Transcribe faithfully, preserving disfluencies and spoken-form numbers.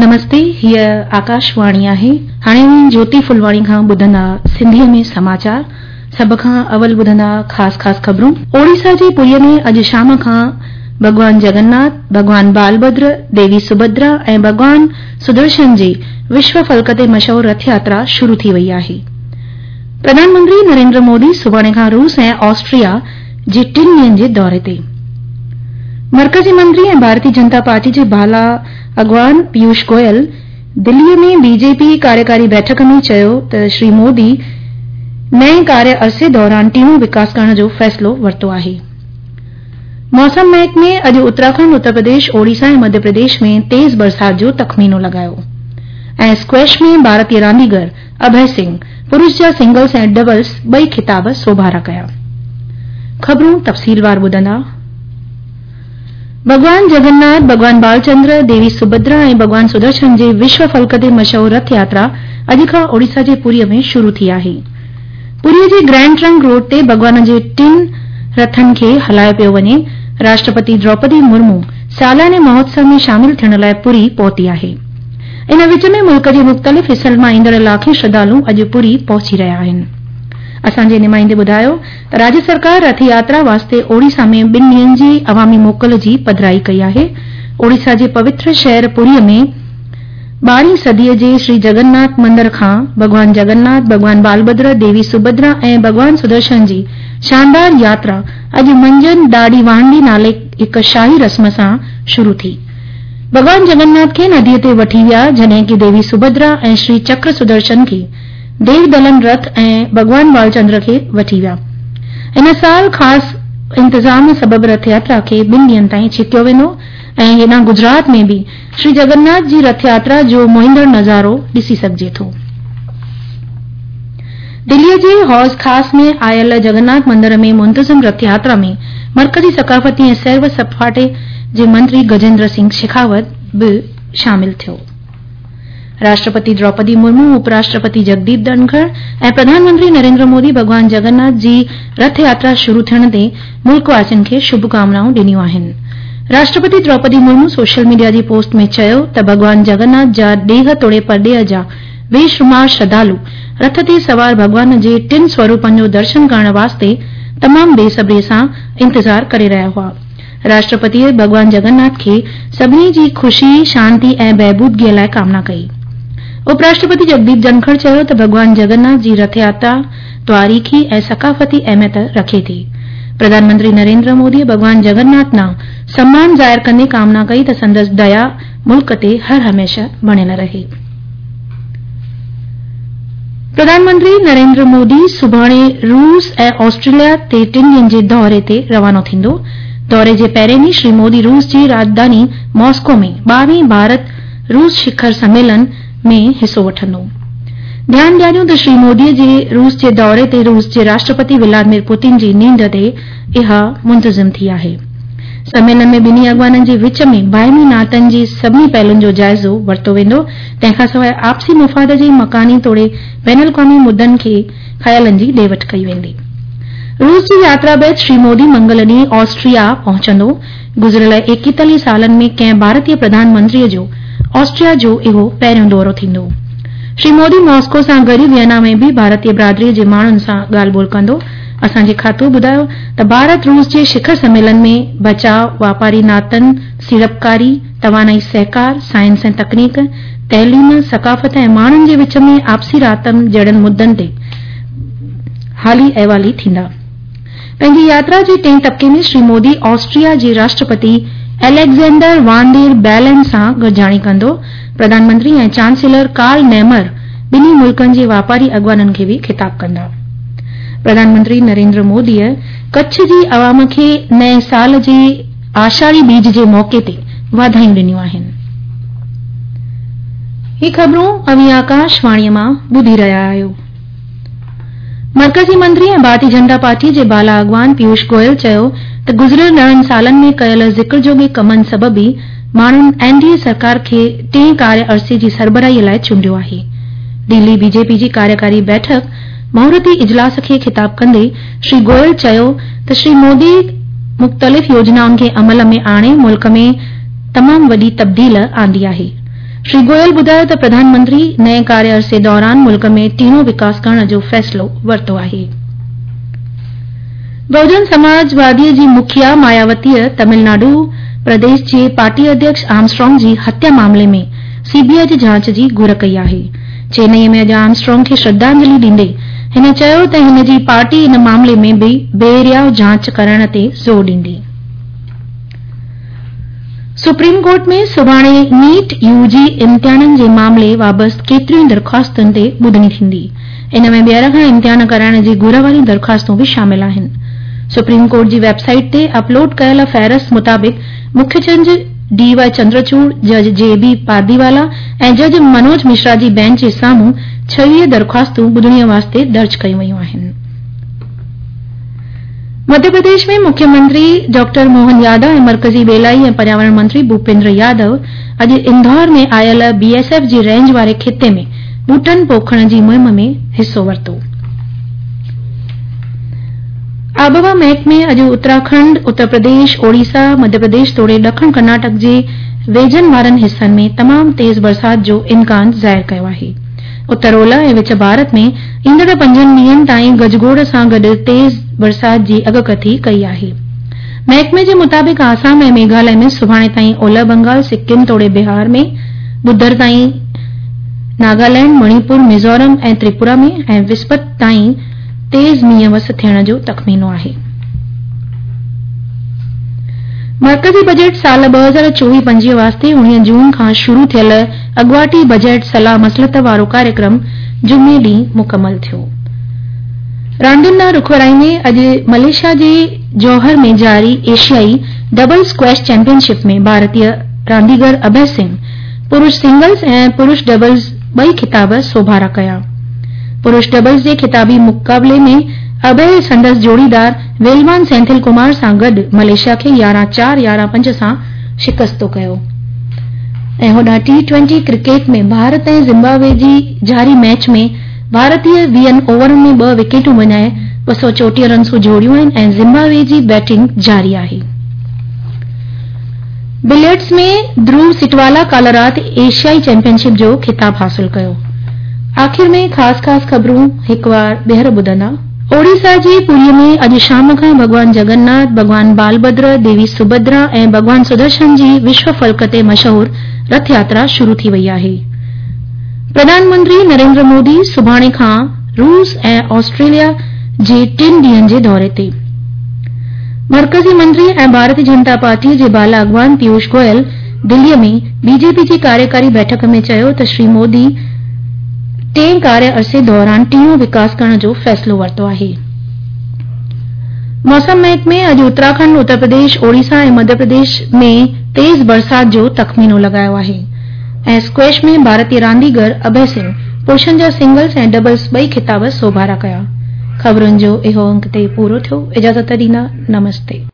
نمستي، هيء آڪاشواڻي آهي. هاڻي اوهين جوتي ڦلواڻي کان ٻڌندا سنڌيء ۾ سماچار. سڀ کان اول ٻڌندا خاص خاص خبرون. اوڙيسا جي پوريء ۾ اڄ شام کان ڀڳوان جگناٿ، ڀڳوان بالڀدر، ديوي سڀدرا ۽ ڀڳوان سدرشن جي وشو فلڪ تي مشهور رٿ ياترا شروع ٿي وئي آهي. پرڌان منتري نريندر مودي سڀاڻي کان روس ۽ آسٽريا جي ٽن ڏينهن جي دوري تي. مرڪزي منتري ۽ ڀارتي جنتا پارٽي جي بالا اڳواڻ پيوش گويل دلي ۾ بي جي پي ڪاريڪاري بيٺڪ ۾ چيو ته شري مودي نئين ڪاريه عرصي دوران ٽيڻو وڪاس ڪرڻ جو فيصلو ورتو آهي. موسم محڪمي اڄ اتراکنڊ، اتر پرديش، اوڙيسا ۽ مڌيه پرديش ۾ تيز برسات جو تخمينو لڳايو ۽ اسڪويش ۾ ڀارتي رانديگر اڀي سنگهه پرش جا سنگلز ۽ ڊبلز ٻئي خطاب سوڀارا ڪيا. خبرون تفصيلوار ٻڌندا. ڀڳوان جگناٿ، ڀڳوان بالچندر، ديوي سڀدرا ۽ ڀڳوان سدرشن جي وشو فلڪ تي مشهور رٿ ياترا اڄ کان اوڙيسا جي پوريء ۾ شروع ٿي آهي. پوريء جي گرينڊ ٽرنڪ روڊ تي ڀڳوان جي ٽن رٿن کي هلايو پيو وڃي. راشٽرپتي دروپدي مرمو سالياني مهوتسو ۾ شامل ٿيڻ لاء پوري پهتي آهي. ان وچ ۾ ملڪ جي مختلف حصن مان ايندڙ لاکين شرڌالو اڄ پوري پهچي رهيا آهن. اسان جي نمائندي ٻڌايو ته راجيه سرڪار رٿ ياترا واسطي اوڙيسا ۾ ٻن ڏينهن جي عوامي موڪل جي پڌرائي ڪئي آهي. اوڙيسا جي پوتر شهر پوريء ۾ ٻارهين صديء جي شري جگناٿ مندر کان ڀڳوان جگناٿ، ڀڳوان بالڀدر، ديوي سڀدرا ۽ ڀڳوان سدرشن جي شاندار ياترا اڄ منجهند ڏاڙي وانڊي نالي هڪ شاهي رسم سان شروع ٿي. ڀڳوان جگناٿ کي نديء تي وٺي ويا، جڏهن ڪي ديوي سڀدرا ۽ شري چڪر سدرشن کي ديودلن رٿ ۽ ڀڳوان بالچندر کي وٺي ويا. هن سال خاص انتظام سبب رٿ ياترا کي ٻن ڏينهن تائين ڇڪيو ويندو ۽ هيڏانهن گجرات ۾ به شري جگناٿ جي رٿ ياترا جو موهيندڙ نظارو ڏسي سگهجي ٿو. دليء جي حوض خاص ۾ آيل جگناٿ مندر ۾ منتظم رٿ ياترا ۾ مرڪزي ثقافتي ۽ سير و سپاٽي جي منتري گجيندر سنگهه شيخاوت به شامل ٿيو. راشٽرپتي دروپدي مرمو، اپ راشٽرپتي جگديپ ڌنکڙ ۽ پرڌان منتري نريندر مودي ڀڳوان جگناٿ جي رٿ ياترا شروع ٿيڻ تي ملڪ واسين کي شڀ ڪامنائون ڏنيون آهن. راشٽرپتي دروپدي مرمو سوشل ميڊيا جي پوسٽ ۾ چيو ته ڀڳوان جگناٿ جا ڏيهه توڙي پرڏيهه جا بي شمار شرڌالو رٿ تي سوار ڀڳوان جي ٽن سوروپن جو درشن ڪرڻ واسطي تمام بي صبريء سان انتظار ڪري رهيا هئا. راشٽرپتيء ڀڳوان جگناٿ کي سڀني جي خوشي، شانتي ۽ بهبودگيء لاء ڪامنا ڪئي. اپ راشٽرپتي جگديپ ڌنکڙ چيو ته ڀڳوان جگناٿ جي رٿ ياترا تواريخي ۽ ثقافتي اهميت رکي ٿي. پرڌان منتري نريندر موديء ڀڳوان جگناٿ ڏانهن سمان ظاهر ڪندي ڪامنا ڪئي ته سندس ديا ملڪ تي هر هميشه بڻيل رهي. پرڌان منتري نريندر مودي سڀاڻي روس ۽ آسٽريليا تي ٽن ڏينهن جي دوري تي روانو ٿيندو. دوري جي پهرين ڏينهن شري مودي روس جي راڄڌاني ماسڪو ۾ ٻاويهين ڀارت روس شکر سميلن ۾ حصو وٺندو. ڌيان ڏياريون ته شري مودي جي روس جي دوري تي روس جي راشٽرپتي ولادمير پوتين جي نينڍ تي اها منتظم ٿي آهي. سميلن ۾ ٻنهي اڳواڻن جي وچ ۾ باهمي ناتن جي سڀني پهلن جو جائزو ورتو ويندو، تنهن کانسواء آپسي مفاد جي مڪاني توڙي بين الاقوامي مدن کي خيالن جي ڏي وٺ ڪئي ويندي. روس جي ياترا بعد شري مودي منگل ڏينهن آسٽريا پهچندو. گذريل ايڪيتاليهه سالن ۾ ڪنهن ڀارتي پرڌان منتري جو آسٽريا جو اهو پهريون دورو ٿيندو. شري مودي ماسڪو سان گڏ ويانا ۾ به ڀارتي برادري جي ماڻهن سان ڳالهه ٻولهه ڪندو. اسان جي کاتو ٻڌايو ته ڀارت روس جي شکر سميلن ۾ بچاء، واپاري ناتن، سيڙپڪاري، توانائي سهڪار، سائنس ۽ تڪنيڪ، تعليم، ثقافت ۽ ماڻهن جي وچ ۾ آپسي رابطن جهڙن مدن تي حالي احوالي ٿيندا. پنهنجي ياترا جي ٽئين طبقي ۾ شري مودي آسٽريا جي راشٽرپتي اليگزينڊر وان ڊير بيلن سان گڏجاڻي ڪندو. پرڌان منتري ۽ چانسيلر ڪارل نيمر ٻنهي ملڪن جي واپاري اڳواڻن کي به خطاب ڪندا. پرڌان منتري نريندر موديء ڪڇ جي عوام کي نئين سال جي آشاڙي ٻيج جي موقعي تي واڌايون ڏنيون آهن. هي خبرون اوهين آڪاشواڻيء مان ٻڌي رهيا آهيو. مرڪزي منتري ۽ ڀارتي جنتا پارٽيء جي بالا اڳواڻ پيوش گويل چيو ته گذريل ڏهن سالن ۾ ڪيل ذڪر جوڳي ڪمن سبب ئي ماڻهن اين ڊي اي سرڪار کي ٽئين ڪاريه عرصي جي سربراهيء لاء چونڊيو آهي. دهلي بي جي پي جي ڪاريڪاري بيٺڪ مهورتي اجلاس کي خطاب ڪندي شري گويل چيو ته شري مودي مختلف يوجنائن کي عمل ۾ آڻي ملڪ ۾ تمام وڏي تبديل آندي آهي. श्री गोयल ॿुधायो त प्रधानमंत्री नए कार्य अरसे दौरान मुल्क में टीणो विकास करण जो फ़ैसिलो वरितो आहे। बहुजन समाजवादीअ जी मुखिया मायावतीअ तमिलनाडु प्रदेश जे पार्टी अध्यक्ष आर्मस्ट्रांग जी हत्या मामले में सीबीआई जी जांच जी घुर कई आहे। चेन्नई में अॼु आर्मस्ट्रांग खे श्रद्धांजलि ॾींदे हिन चयो त हिन जी पार्टी इन मामले में बि बेरियाव जांच करण ते ज़ोर ॾींदी। सुप्रीम कोर्ट में सुभाणे नीट यूजी इम्तिहाननि जे मामले बाबति केतिरियूं दरख़्वास्तुनि ते ॿुधणी थींदी। इन में ॿीहर खां इम्तिहान कराइण जी घुर वारियूं दरख़्वास्तूं बि शामिल आहिनि। सुप्रीम कोर्ट जी वेबसाइट ते अपलोड कयल फ़हरिस्त मुताबिक़ मुख्य जज डी वाई चंद्रचूड़, जज जे बी पारदीवाला ऐं जज मनोज मिश्रा जी बेंच जे साम्हूं छवीह दरख़्वास्तूं ॿुधणीअ वास्ते दर्ज कयूं वयूं आहिनि। मध्य प्रदेश में मुख्यमंत्री डॉक्टर मोहन यादव ऐं मर्कज़ी ॿेलाई ऐं पर्यावरण मंत्री भूपेंद्र यादव अॼु इंदौर में आयल बीएसएफ जी रेंज वारे खिते में ॿूटनि पोखण जी मुहिम में हिसो वरितो। आबहवा महकमे अॼु उत्तराखंड, उत्तर प्रदेश, ओडिशा, मध्य प्रदेश तोड़े ॾखण कर्नाटक जे वेझनि वारनि हिसनि में तमामु तेज़ बरसाति जो इम्कान ज़ाहिर कयो आहे। उत्तर ओलह ऐं विच भारत में ईंदड़ पंजनि ॾींहनि ताईं गजगोड़ सां गॾु तेज़ बरसाति जी अॻकथी कई आहे। महकमे जे मुताबिक़ आसाम ऐं मेघालय में सुभाणे ताईं ओलह बंगाल, सिक्किम तोड़े बिहार में ॿुधर ताईं नागालैंड, मणिपुर, मिज़ोरम ऐं त्रिपुरा में ऐं विस्पत ताईं तेज़ मींहुं वस थियण जो तख़मीनो आहे। मर्कज़ी बजट साल ॿ हज़ार चोवीह पंजवीह वास्ते उणिवीह जून खां शुरू थियल अॻुवाटी बजट सलाह मसलत वारो कार्यक्रम जुमे ॾींहुं मुकमल थियो। रांदियुनि ॾांहुं रुख वराईंदे अॼु मलेशिया जे जौहर में जारी एशियाई डबल स्क्वैश चैंपियनशिप में भारतीय रांदीगर अभय सिंह पुरुष सिंगल्स ऐं पुरुष डबल्स ॿई खिताब सोभारा कया। पुरुष डबल्स जे खिताबी मुक़ाबले में अभय संदसि जोड़ीदार वेलवान सेंथिल कुमार सां गॾु मलेशिया खे यारहं चार यारहं पंज सां शिकस्तो कयो। ऐं होॾां टी ट्वेंटी क्रिकेट में भारत ऐं ज़िम्बाब्वे जी जारी मैच में भारतीय वीहनि ओवरनि में ॿ विकेटूं वञाए ॿ सौ चोटीह रनसूं जोड़ियूं आहिनि ऐं ज़िम्बाब्वे जी बैटिंग जारी आहे। बिलियर्ड्स में ध्रुव सिटवाला काल्ह राति एशियाई चैंपियनशिप जो खिताब हासिल कयो। आख़िर में ख़ासि ख़ासि ख़बरूं हिकु वार ॿीहर ॿुधंदा। ओडिशा जे पुरीअ में अॼु शाम खां भॻवान जगन्नाथ, भॻवान बालभद्र, देवी सुभद्रा ऐं भॻवान सुदर्शन जी विश्व फलक ते मशहूर रथ यात्रा शुरू थी वई आहे। प्रधानमंत्री नरेंद्र मोदी सुभाणे खां रूस ऐं ऑस्ट्रेलिया जे टिनि ॾींहनि जे दौरे ते। मर्कज़ी मंत्री ऐं भारतीय जनता पार्टी जे बाला अॻवान पीयूष गोयल दिल्लीअ में बीजेपी जी कार्यकारी बैठक में चयो त श्री मोदी टे कार्य अरसे दौरान टीणो विकास करण जो फ़ैसिलो वरितो आहे। मौसम महकमे अॼु उत्तराखंड, उत्तर प्रदेश, ओडिशा ऐं मध्य प्रदेश में तेज़ बरसाति जो तख़मीनो लॻायो आहे। ऐं स्क्वैश में भारतीय रांदीगर अभय सिंह पुरुषनि जा सिंगल्स ऐं डबल्स ॿई खिताब सोभारा कया। ख़बरुनि जो इहो अंक ते पूरो थियो। इजाज़त ॾींदा, नमस्ते।